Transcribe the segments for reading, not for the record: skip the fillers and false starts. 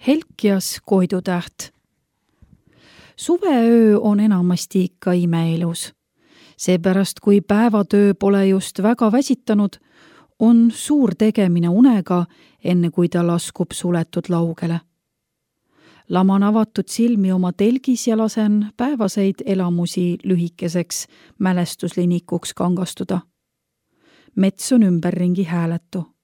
Helkias koidutäht. Suveöö on enamasti ikka imeilus. Seepärast, kui päevatöö pole just väga väsitanud, on suur tegemine unega, enne kui ta laskub suletud laugele. Laman avatud silmi oma telgis ja lasen päevaseid elamusi lühikeseks mälestuslinikuks kangastuda. Mets on ümberringi hääletu.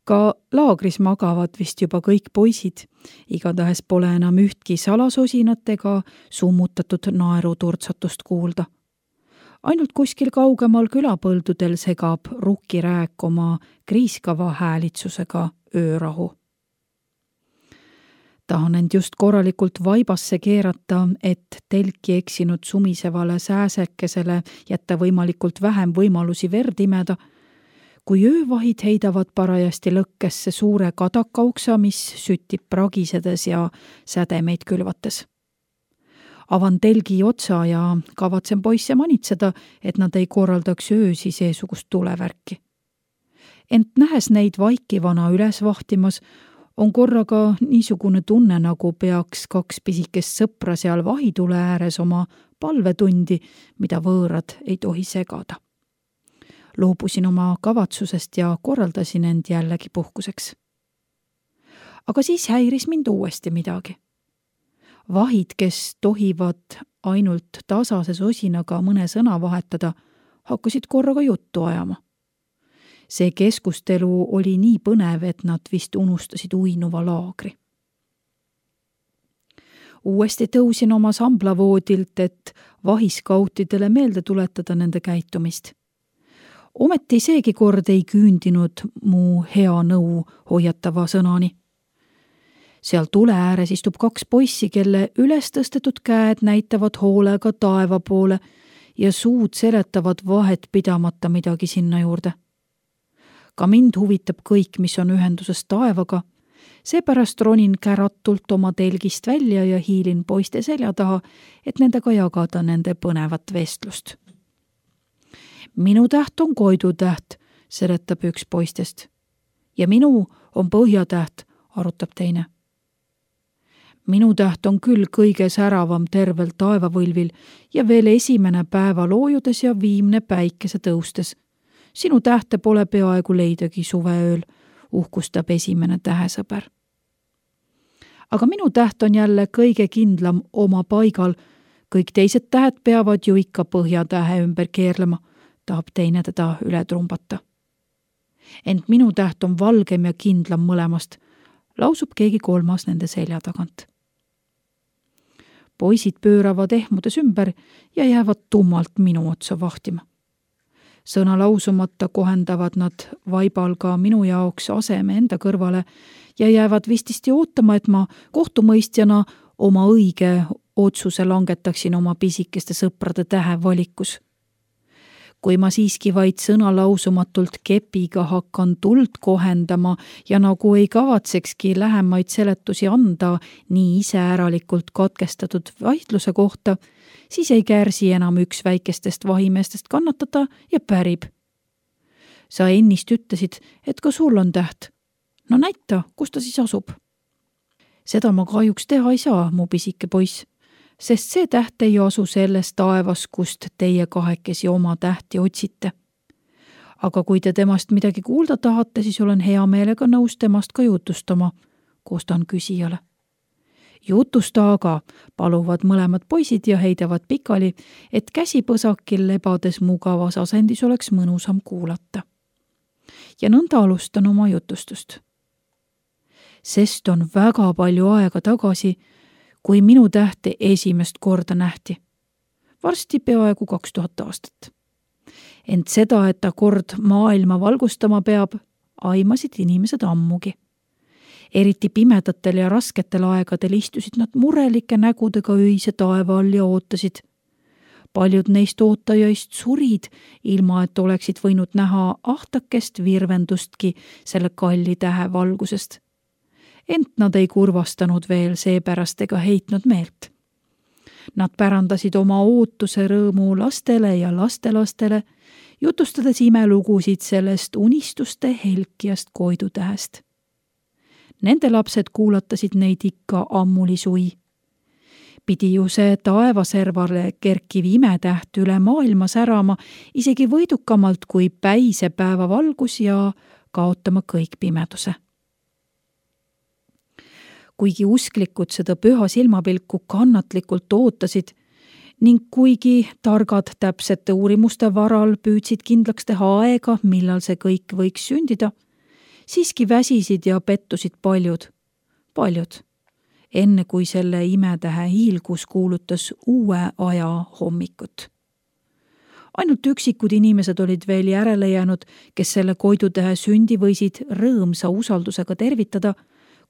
Ka laagris magavad vist juba kõik poisid, igatahes pole enam ühtki salasosinat ega summutatud naeruturtsatust kuulda. Ainult kuskil kaugemal külapõldudel segab rukkirääk oma kriiskava häälitsusega öörahu. Tahan end just korralikult vaibasse keerata, et telki eksinud sumisevale sääsekesele jätta võimalikult vähem võimalusi verd imeda, kui öövahid heidavad parajasti lõkkesse suure kadakauksa, mis süttib pragisedes ja sädemeid külvates. Avan telgi otsa ja kavatsen poisse manitseda, et nad ei korraldaks öösi seesugust tulevärki. Ent nähes neid vaikivana üles vahtimas, on korraga niisugune tunne, nagu peaks kaks pisikest sõpra seal vahitule ääres oma palvetundi, mida võõrad ei tohi segada. Loobusin oma kavatsusest ja korraldasin end jällegi puhkuseks. Aga siis häiris mind uuesti midagi. Vahid, kes tohivad ainult tasase sosinaga mõne sõna vahetada, hakkasid korraga juttu ajama. See keskustelu oli nii põnev, et nad vist unustasid uinuva laagri. Uuesti tõusin oma samblavoodilt, et vahiskautidele meelde tuletada nende käitumist. Ometi seegi kord ei küündinud mu hea nõu hoiatava sõnani. Seal tule ääres istub kaks poissi, kelle üles tõstetud käed näitavad hoolega taeva poole ja suud seletavad vahet pidamata midagi sinna juurde. Ka mind huvitab kõik, mis on ühenduses taevaga, seepärast ronin käratult oma telgist välja ja hiilin poiste selja taha, et nendega jagada nende põnevat vestlust. Minu täht on koidutäht, seletab üks poistest. Ja minu on põhjatäht, arutab teine. Minu täht on küll kõige säravam tervel taevavõlvil ja veel esimene päeva loojudes ja viimne päikese tõustes. Sinu tähte pole peaaegu leidagi suveööl, uhkustab esimene tähesõber. Aga minu täht on jälle kõige kindlam oma paigal. Kõik teised tähed peavad ju ikka põhjatähe ümber keerlema, tahab teine teda üle trumbata. Ent minu täht on valgem ja kindlam mõlemast, lausub keegi kolmas nende selja tagant. Poisid pööravad ehmudes ümber ja jäävad tummalt minu otsa vahtima. Sõna lausumata kohendavad nad vaibal ka minu jaoks aseme enda kõrvale ja jäävad vististi ootama, et ma kohtumõistjana oma õige otsuse langetaksin oma pisikeste sõprade tähevalikus. Kui ma siiski vaid sõna lausumatult kepiga hakkan tuld kohendama ja nagu ei kavatsekski lähemaid seletusi anda nii iseäralikult katkestatud vaidluse kohta, siis ei kärsi enam üks väikestest vahimeestest kannatada ja pärib. Sa ennist ütlesid, et ka sul on täht. No näita, kus ta siis asub. Seda ma kahjuks teha ei saa, mu pisike poiss, sest see täht ei asu selles taevas, kust teie kahekesi oma tähti otsite. Aga kui te temast midagi kuulda tahate, siis olen hea meelega nõus temast ka jutustama, koostan küsijale. Jutusta aga, paluvad mõlemad poisid ja heidavad pikali, et käsipõsakil lebades mugavas asendis oleks mõnusam kuulata. Ja nõnda alustan oma jutustust. Sest on väga palju aega tagasi, kui minu tähte esimest korda nähti. Varsti peaaegu 2000 aastat. Ent seda, et ta kord maailma valgustama peab, aimasid inimesed ammugi. Eriti pimedatel ja rasketel aegadel istusid nad murelike nägudega öise taeva all ja ootasid. Paljud neist ootajaist surid, ilma et oleksid võinud näha ahtakest virvendustki selle kalli tähe valgusest. Ent nad ei kurvastanud veel seepärast ega heitnud meelt. Nad pärandasid oma ootuse rõõmu lastele ja lastelastele, jutustades imelugusid sellest unistuste helkiast koidutähest. Nende lapsed kuulatasid neid ikka ammuli sui. Pidi ju see taevaservale kerkiv imetäht üle maailma särama isegi võidukamalt kui päisepäeva valgus ja kaotama kõik pimeduse. Kuigi usklikud seda püha silmapilku kannatlikult ootasid ning kuigi targad täpsete uurimuste varal püüdsid kindlaks teha aega, millal see kõik võiks sündida, siiski väsisid ja pettusid paljud, enne kui selle imetähe hiilgus kuulutas uue aja hommikut. Ainult üksikud inimesed olid veel järele jäänud, kes selle koidutähe sündi võisid rõõmsa usaldusega tervitada,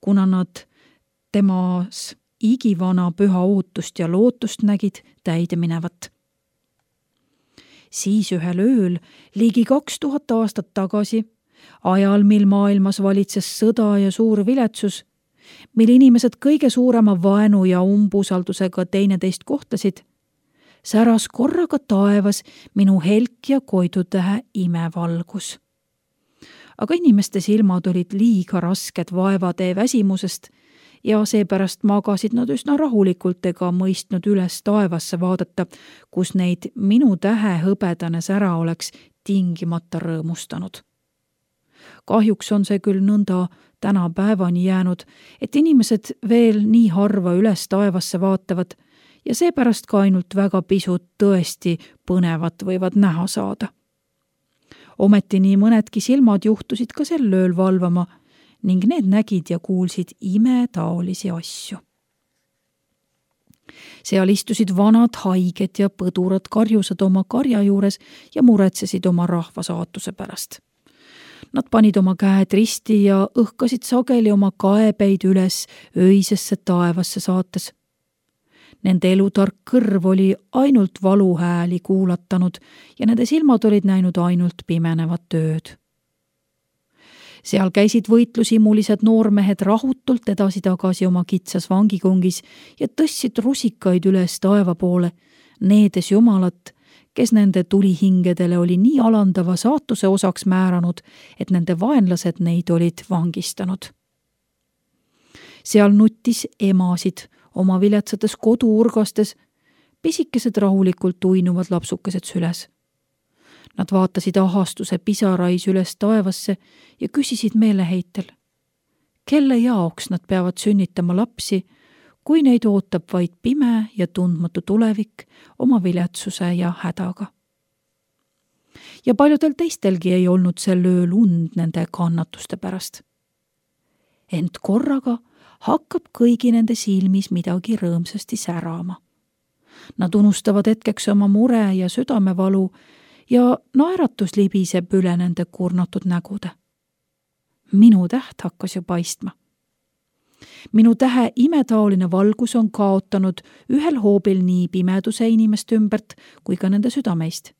kuna nad temas igivana püha ootust ja lootust nägid täide minevat. Siis ühel ööl, ligi 2000 aastat tagasi, ajal, mil maailmas valitses sõda ja suur viletsus, mil inimesed kõige suurema vaenu ja umbusaldusega teineteist kohtlesid, säras korraga taevas minu helk ja koidutähe imevalgus. Aga inimeste silmad olid liiga rasked vaevatee väsimusest ja seepärast magasid nad üsna rahulikult ega mõistnud üles taevasse vaadata, kus neid minu tähe hõbedane sära oleks tingimata rõõmustanud. Kahjuks on see küll nõnda tänapäevani jäänud, et inimesed veel nii harva üles taevasse vaatavad ja seepärast ka ainult väga pisut tõesti põnevat võivad näha saada. Ometi nii mõnedki silmad juhtusid ka sel ööl valvama ning need nägid ja kuulsid imetaolisi asju. Seal istusid vanad haiged ja põdurad karjusad oma karja juures ja muretsesid oma rahva saatuse pärast. Nad panid oma käed risti ja õhkasid sageli oma kaebeid üles öisesse taevasse saates. Nende elutark kõrv oli ainult valuhääli kuulatanud ja nende silmad olid näinud ainult pimenevat ööd. Seal käisid võitlusimulised noormehed rahutult edasi-tagasi oma kitsas vangikongis ja tõstsid rusikaid üles taeva poole, needes Jumalat, kes nende tulihingedele oli nii alandava saatuse osaks määranud, et nende vaenlased neid olid vangistanud. Seal nuttis emasid oma viletsates koduurgastes, pisikesed rahulikult uinuvad lapsukesed süles. Nad vaatasid ahastuse pisarais üles taevasse ja küsisid meeleheitel, kelle jaoks nad peavad sünnitama lapsi, kui neid ootab vaid pime ja tundmatu tulevik oma viletsuse ja hädaga. Ja paljudel teistelgi ei olnud sel ööl und nende kannatuste pärast. Ent korraga hakkab kõigi nende silmis midagi rõõmsasti särama. Nad unustavad hetkeks oma mure ja südamevalu ja naeratus libiseb üle nende kurnatud nägude. Minu täht hakkas ju paistma. Minu tähe imetaoline valgus on kaotanud ühel hoobil nii pimeduse inimeste ümbert kui ka nende südameist.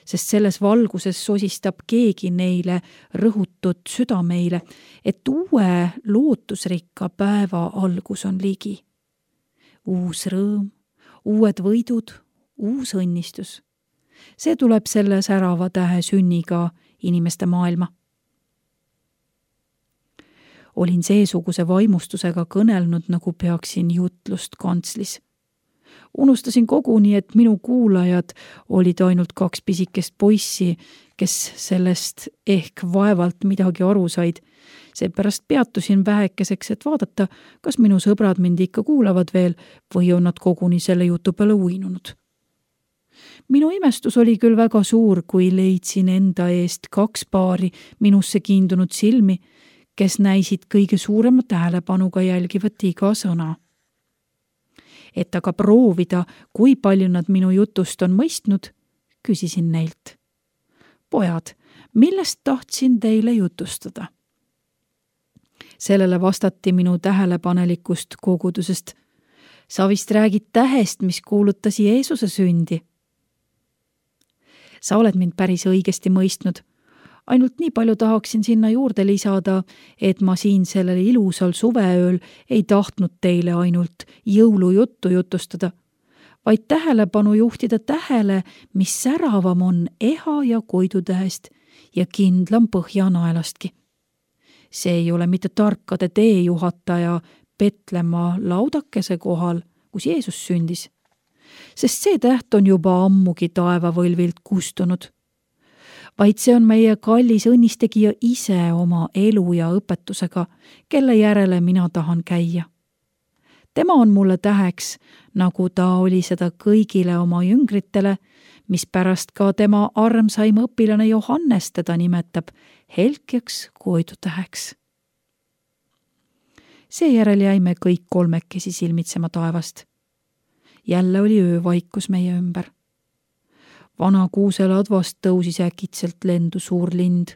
Sest selles valguses sosistab keegi neile rõhutud südameile, et uue lootusrikka päeva algus on ligi. Uus rõõm, uued võidud, uus õnnistus. See tuleb selle särava tähe sünniga inimeste maailma. Olin seesuguse vaimustusega kõnelnud, nagu peaksin jutlust kantslis. Unustasin koguni, et minu kuulajad olid ainult 2 pisikest poissi, kes sellest ehk vaevalt midagi aru said. Seepärast peatusin vähekeseks, et vaadata, kas minu sõbrad mind ikka kuulavad veel või on nad koguni selle jutu peale uinunud. Minu imestus oli küll väga suur, kui leidsin enda eest 2 paari minusse kiindunud silmi, kes näisid kõige suurema tähelepanuga jälgivat iga sõna. Et aga proovida, kui palju nad minu jutust on mõistnud, küsisin neilt. Pojad, millest tahtsin teile jutustada? Sellele vastati minu tähelepanelikust kogudusest. Sa vist räägid tähest, mis kuulutas Jeesuse sündi. Sa oled mind päris õigesti mõistnud. Ainult nii palju tahaksin sinna juurde lisada, et ma siin sellel ilusal suveööl ei tahtnud teile ainult jõulujuttu jutustada, vaid tähelepanu juhtida tähele, mis säravam on eha ja koidutähest ja kindlam põhjanaelastki. See ei ole mitte tarkade teejuhataja Petlemma laudakese kohal, kus Jeesus sündis, sest see täht on juba ammugi taevavõlvilt kustunud, vaid see on meie kallis õnnistegija ise oma elu ja õpetusega, kelle järele mina tahan käia. Tema on mulle täheks, nagu ta oli seda kõigile oma jüngritele, mispärast ka tema armsaim õpilane Johannes teda nimetab helkjaks koidutäheks. Seejärel jäime kõik kolmekesi silmitsema taevast. Jälle oli öövaikus meie ümber. Vana kuuseladvast tõusis äkitselt lendu suur lind.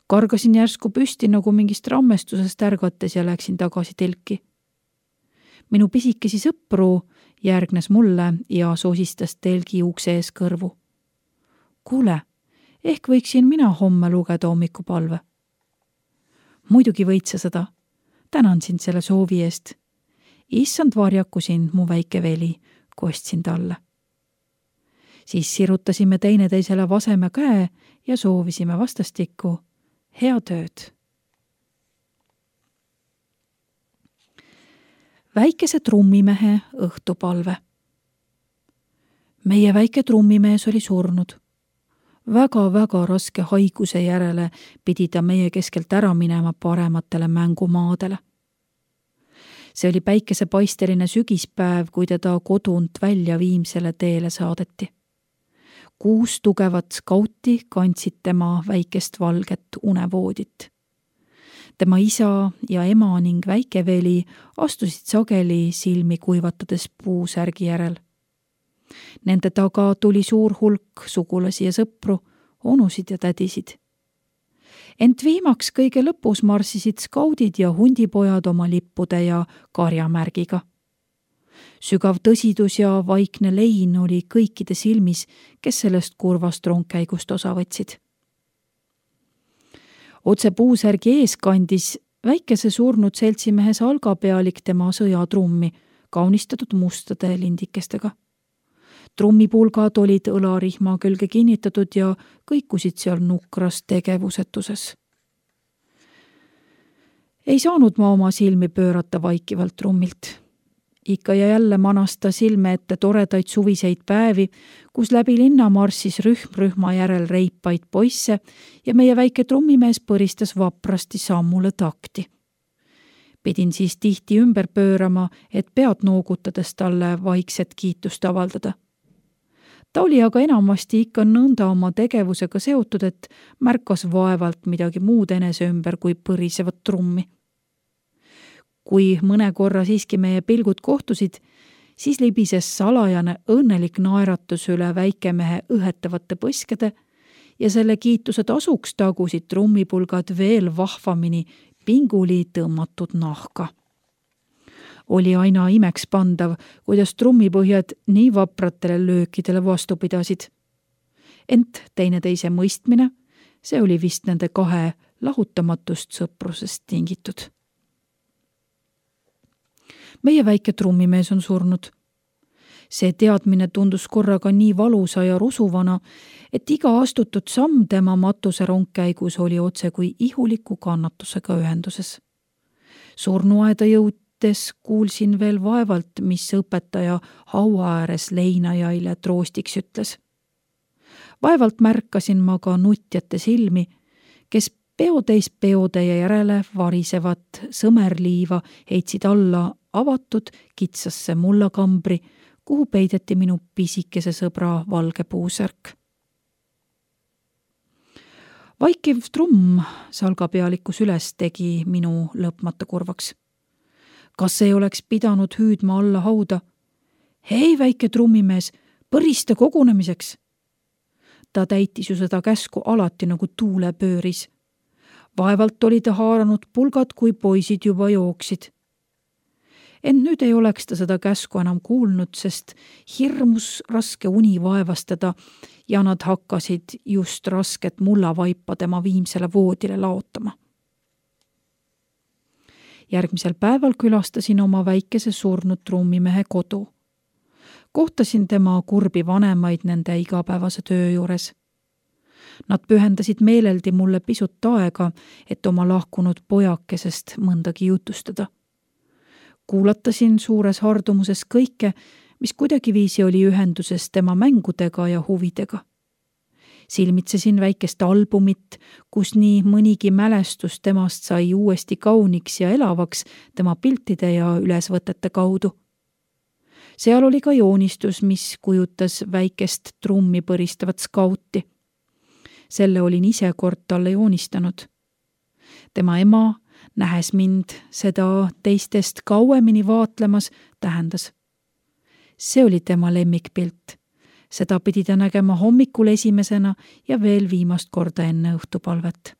Kargasin järsku püsti nagu mingist rammestusest ärgates ja läksin tagasi telki. Minu pisikesi sõpru järgnes mulle ja sosistas telgi ukse ees kõrvu. Kuule, ehk võiksin mina homme lugeda hommikupalve? Muidugi võid sa seda. Tänan sind selle soovi eest. Issand varjaku sind, mu väike veli, kostsin talle. Siis sirutasime teineteisele vaseme käe ja soovisime vastastikku head ööd. Väikese trummimehe õhtupalve. Meie väike trummimees oli surnud. Väga raske haiguse järele pidi ta meie keskelt ära minema parematele mängumaadele. See oli päikesepaisteline sügispäev, kui teda kodunt välja Viimsele teele saadeti. 6 tugevat skauti kandsid tema väikest valget unevoodit. Tema isa ja ema ning väike veli astusid sageli silmi kuivatades puusärgi järel. Nende taga tuli suur hulk sugulasi ja sõpru, onusid ja tädisid. Ent viimaks kõige lõpus marssisid skaudid ja hundipojad oma lippude ja karjamärgiga. Sügav tõsidus ja vaikne lein oli kõikide silmis, kes sellest kurvast rongkäigust osa võtsid. Otse puusärgi ees kandis väikese surnud seltsimehe salgapealik tema sõjatrummi, kaunistatud mustade lindikestega. Trummipulgad olid õlarihma külge kinnitatud ja kõikusid seal nukras tegevusetuses. Ei saanud ma oma silmi pöörata vaikivalt trummilt. Ikka ja jälle manas ta silme ette toredaid suviseid päevi, kus läbi linna marssis rühm rühma järel reipaid poisse ja meie väike trummimees põristas vaprasti sammule takti. Pidin siis tihti ümber pöörama, et pead noogutades talle vaikset kiitust avaldada. Ta oli aga enamasti ikka nõnda oma tegevusega seotud, et märkas vaevalt midagi muud enese ümber kui põrisevat trummi. Kui mõne korra siiski meie pilgud kohtusid, siis libises salajane õnnelik naeratus üle väikemehe õhetavate põskede ja selle kiituse tasuks tagusid trummipulgad veel vahvamini pinguli tõmmatud nahka. Oli aina imeks pandav, kuidas trummipõhjad nii vapratele löökidele vastu pidasid. Ent teineteise mõistmine, see oli vist nende 2 lahutamatust sõprusest tingitud. Meie väike trummimees on surnud. See teadmine tundus korraga nii valusa ja rusuvana, et iga astutud samm tema matuse rongkäigus oli otse kui ihuliku kannatusega ühenduses. Surnuaeda jõudes kuulsin veel vaevalt, mis õpetaja haua ääres leinajaile troostiks ütles. Vaevalt märkasin ma ka nutjate silmi, kes peotäis peotäie järele varisevat sõmerliiva heitsid alla avatud kitsasse mullakambri, kuhu peideti minu pisikese sõbra valge puusärk. Vaikiv trumm salgapealikus üles tegi minu lõpmata kurvaks. Kas ei oleks pidanud hüüdma alla hauda? Hei, väike trummimees, põrista kogunemiseks! Ta täitis ju seda käsku alati nagu tuule pööris. Vaevalt oli ta haaranud pulgad, kui poisid juba jooksid. Ent nüüd ei oleks ta seda käsku enam kuulnud, sest hirmus raske uni vaevastada ja nad hakkasid just rasket mullavaipa tema Viimsele voodile laotama. Järgmisel päeval külastasin oma väikese surnud trummimehe kodu. Kohtasin tema kurbi vanemaid nende igapäevase töö juures. Nad pühendasid meeleldi mulle pisut aega, et oma lahkunud pojakesest mõndagi jutustada. Kuulatasin suures hardumuses kõike, mis kuidagiviisi oli ühenduses tema mängudega ja huvidega. Silmitsesin väikest albumit, kus nii mõnigi mälestus temast sai uuesti kauniks ja elavaks tema piltide ja ülesvõtete kaudu. Seal oli ka joonistus, mis kujutas väikest trummi põristavat skauti. Selle olin ise kord talle joonistanud. Tema ema, nähes mind seda teistest kauemini vaatlemas, tähendas. See oli tema lemmikpilt. Seda pidi ta nägema hommikul esimesena ja veel viimast korda enne õhtupalvet.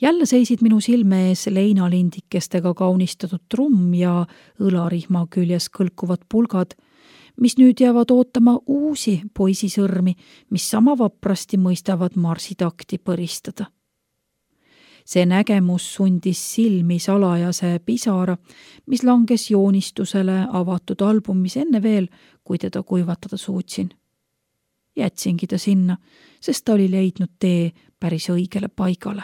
Jälle seisid minu silme ees leinalindikestega kaunistatud trumm ja õlarihma küljes kõlkuvad pulgad, mis nüüd jäävad ootama uusi poisisõrmi, mis sama vaprasti mõistavad marsitakti põristada. See nägemus sundis silmi salajase pisara, mis langes joonistusele avatud albumis enne veel, kui teda kuivatada suutsin. Jätsingi ta sinna, sest ta oli leidnud tee päris õigele paigale.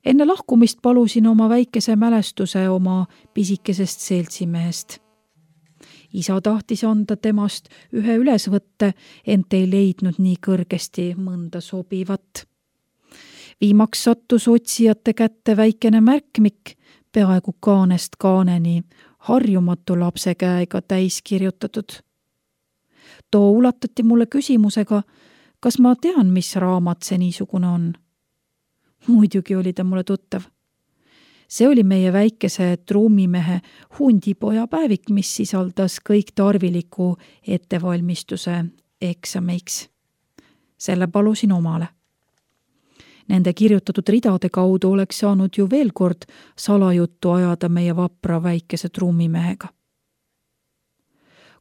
Enne lahkumist palusin oma väikese mälestuse oma pisikesest seltsimehest. Isa tahtis anda temast ühe ülesvõtte, ent ei leidnud nii kõrgesti mõnda sobivat. Viimaks sattus otsijate kätte väikene märkmik, peaaegu kaanest kaaneni, harjumatu lapse käega täis kirjutatud. Too ulatati mulle küsimusega, kas ma tean, mis raamat see niisugune on. Muidugi oli ta mulle tuttav. See oli meie väikese trummimehe hundipoja päevik, mis sisaldas kõik tarviliku ettevalmistuse eksamiks. Selle palusin omale. Nende kirjutatud ridade kaudu oleks saanud ju veel kord salajuttu ajada meie vapra väikese trummimehega.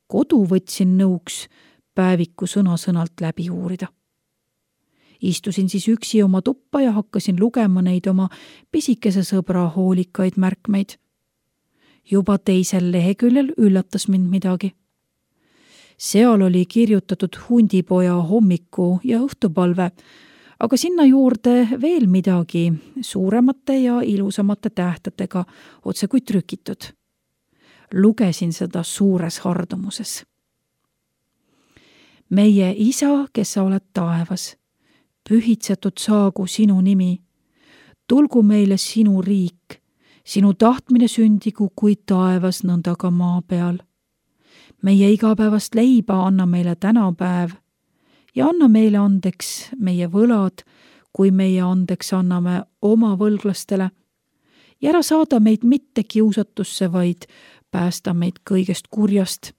Kodu võtsin nõuks päeviku sõna-sõnalt läbi uurida. Istusin siis üksi oma tuppa ja hakkasin lugema neid oma pisikese sõbra hoolikaid märkmeid. Juba teisel leheküljel üllatas mind midagi. Seal oli kirjutatud hundipoja hommiku ja õhtupalve, aga sinna juurde veel midagi suuremate ja ilusamate tähtedega otse kui trükitud. Lugesin seda suures hardumuses. Meie isa, kes sa oled taevas, pühitsetud saagu sinu nimi, tulgu meile sinu riik, sinu tahtmine sündigu kui taevas nõnda ka maa peal. Meie igapäevast leiba anna meile tänapäev ja anna meile andeks meie võlad, kui meie andeks anname oma võlglastele. Ja ära saada meid mitte kiusatusse, vaid päästa meid kõigest kurjast,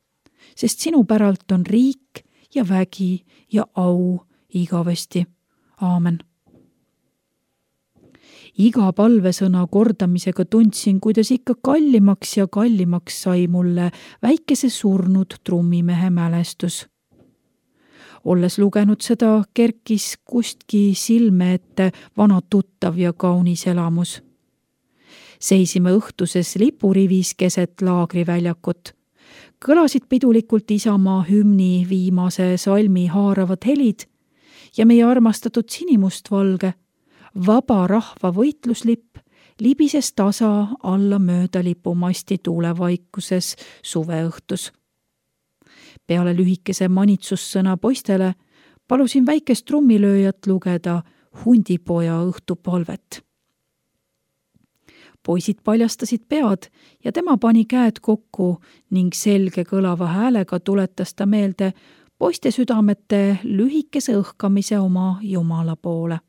sest sinu päralt on riik ja vägi ja au igavesti. Aamen. Iga palvesõna kordamisega tundsin, kuidas ikka kallimaks ja kallimaks sai mulle väikese surnud trummimehe mälestus. Olles lugenud seda, kerkis kustki silme ette vana tuttav ja kaunis elamus. Seisime õhtuses lipurivis keset laagriväljakut. Kõlasid pidulikult Isamaa hümni viimase salmi haaravad helid ja meie armastatud sinimustvalge, vaba rahva võitluslipp libises tasa alla mööda lipumasti tuulevaikuses suveõhtus. Peale lühikese manitsussõna poistele palusin väikest trummilööjat lugeda hundipoja õhtupalvet. Poisid paljastasid pead ja tema pani käed kokku ning selge kõlava häälega tuletas ta meelde poiste südamete lühikese õhkamise oma Jumala poole.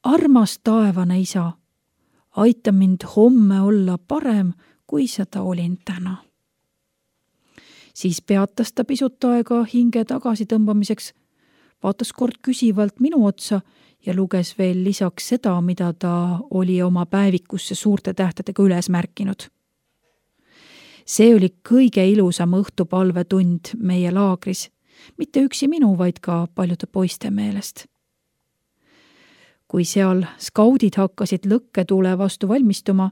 Armas taevane isa, aita mind homme olla parem, kui seda olin täna. Siis peatas ta pisut aega hinge tagasi tõmbamiseks, vaatas kord küsivalt minu otsa ja luges veel lisaks seda, mida ta oli oma päevikusse suurte tähtedega üles märkinud. See oli kõige ilusam õhtupalvetund meie laagris, mitte üksi minu, vaid ka paljude poiste meelest. Kui seal skaudid hakkasid lõkketule vastu valmistuma,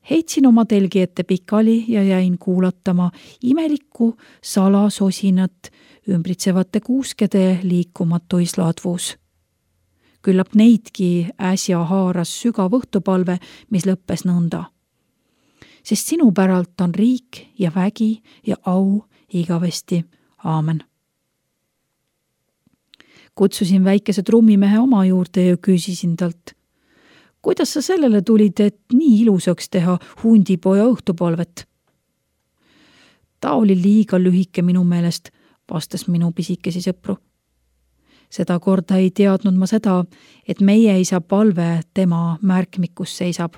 Heitsin oma telgi ette pikali ja jäin kuulatama imelikku salasosinat ümbritsevate kuuskede liikumatuis ladvus. Küllap neidki äsja haaras sügav õhtupalve, mis lõppes nõnda. Sest sinu päralt on riik ja vägi ja au igavesti. Aamen. Kutsusin väikese trummimehe oma juurde ja küsisin talt, kuidas sa sellele tulid, et nii ilusaks teha hundipoja õhtupalvet? Ta oli liiga lühike minu meelest, vastas minu pisikesi sõpru. Seda korda ei teadnud ma seda, et meie isa palve tema märkmikus seisab.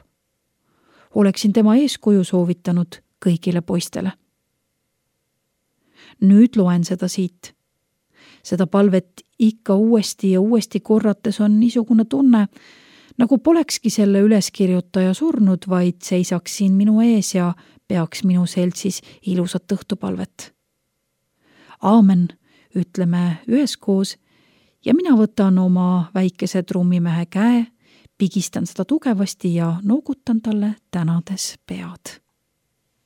Oleksin tema eeskuju soovitanud kõigile poistele. Nüüd loen seda siit. Seda palvet ikka uuesti ja uuesti korrates on niisugune tunne, nagu polekski selle üleskirjutaja surnud, vaid seisaks siin minu ees ja peaks minu seltsis ilusat õhtupalvet. Aamen, ütleme üheskoos ja mina võtan oma väikese trummimehe käe, pigistan seda tugevasti ja noogutan talle tänades pead.